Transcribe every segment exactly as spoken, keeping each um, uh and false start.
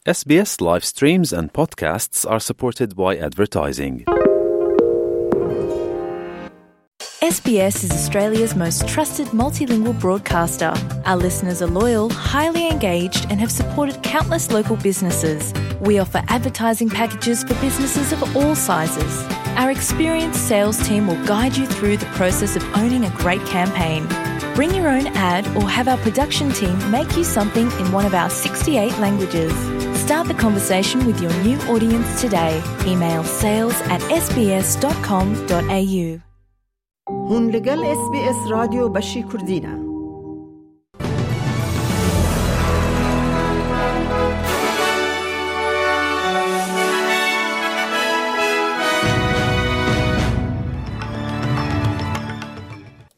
S B S live streams and podcasts are supported by advertising. S B S is Australia's most trusted multilingual broadcaster. Our listeners are loyal, highly engaged, and have supported countless local businesses. We offer advertising packages for businesses of all sizes. Our experienced sales team will guide you through the process of owning a great campaign. Bring your own ad or have our production team make you something in one of our sixty-eight languages. Start the conversation with your new audience today. Email sales at S B S dot com dot A U. Hûn li gel S B S Radyo Beşî Kurdî ne.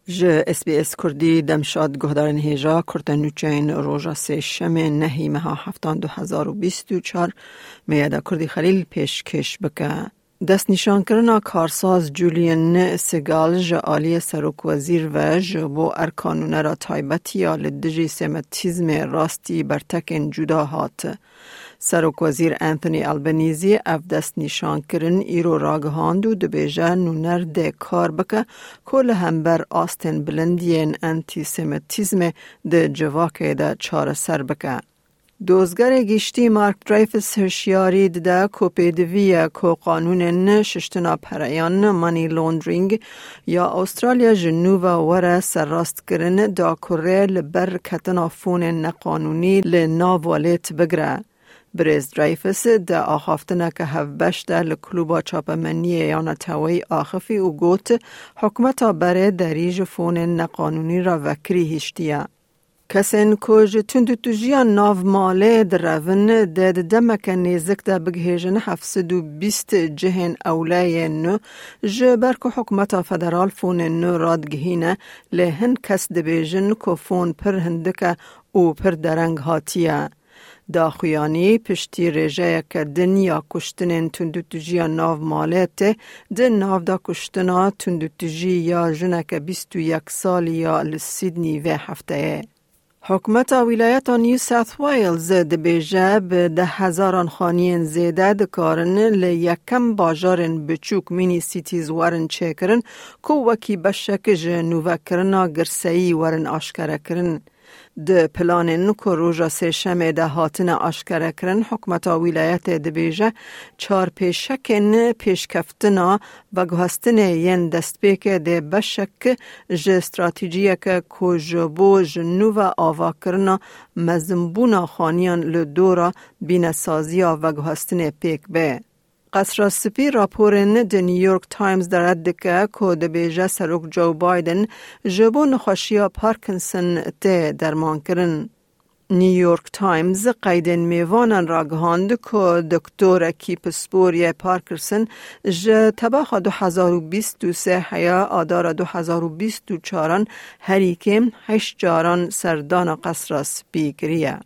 Ji S B S Kurdî demşad guhdarên hêja kurte nûçeyên roja sêşemê nehî meha heftan du hezar û bîst û çar me ya da Kurdî Xelîl pêşkêş bike. Destnîşankirina karsaz Julian Segal ji aliyê serokwezîr ve ji bo erka nûnera taybetî ya li dijî semitîzmê rastî bertekên cuda hat. Serokwezîr Anthony Albanese ev destnîşankirin îro ragihand û dibêje nûner dê kar bike ku li hember astên bilind yên antîsemitîzmê di civakê de çareser bike. Dozgerê Giştî Mark Dreyfus hişyarî dide ku pêdivî ye ku qanûnên şiştina pereyan, money laundering, ya Australya ji nû ve were serrastkirin da ku rê li ber ketina fonên neqanûnî li nav welêt bigire. Birêz Dreyfus di axaftineke hevbeş de li Klûba Çapemeniyê ya Neteweyî axifî û got, hikûmeta berê derî ji fonên neqanûnî re vekirî hiştiye. Kesên ku ji tundûtûjiya nav malê direvin, dê di demeke nêzik de bigihêjin heft sed û bîst cihên ewleyên nû, ji ber ku hikûmeta federal fonên nû radigihîne, lê hin kes dibêjin ku fon pir hindik e û pir dereng hatiye. Daxuyanî piştî rêjeyeke din ya kuştinên tundûtûjiya nav malê tê di nav de kuştina tundûtûjî ya jineke bîst û yek salî ya li Sydney vê hefteyê. Hikûmeta Wîlayeta New South Wales dibêje bi deh hezaran xaniyên zêde dikarin li yekem bajarên biçûk, mini cities, werin çêkirin ku wekî beşek ji nûvekirina girseyî werin aşkerekirin. Di planên ku roja sêşemê de hatine aşkerekirin, hikûmeta wîlayetê dibêje çar pêşekên pêşkeftina veguhestinê yên destpêkê dê beşek ji stratejiyeke ku ji bo ji nû ve avakirina mezinbûna xaniyan li dora bînesaziya veguhestinê pêk bê. Qesra Spî raporên di New York Times de red dike ku dibêje Serok Joe Biden ji bo nexweşiya Parkinson tê dermankirin. New York Times qeydên mêvanan ragihand ku doktorekî pisporiyê Parkinson ji tebaxa du hezar û bîst û sê heya adara du hezar û bîst û çaran herî kêm heşt caran serdana Qesra Spî kiriye.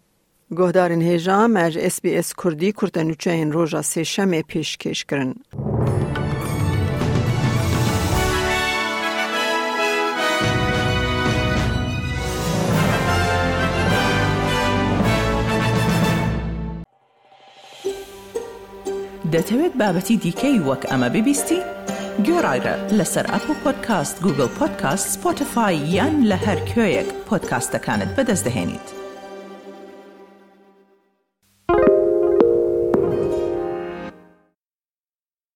Guhdarên hêja, me ji S B S Kurdî kurtenûçeyên roja sêşemê pêşkêş kirin. دەتەوێت بابەتی دیکەی وەک ئەمە ببیستی؟ گوێڕایرە لەسەر ئەپڵ پۆدکاست، گوگڵ پۆدکاست، سپۆتیفای یان لە هەر کوێیەک پۆدکاستەکانت بەدەست دەهێنیت.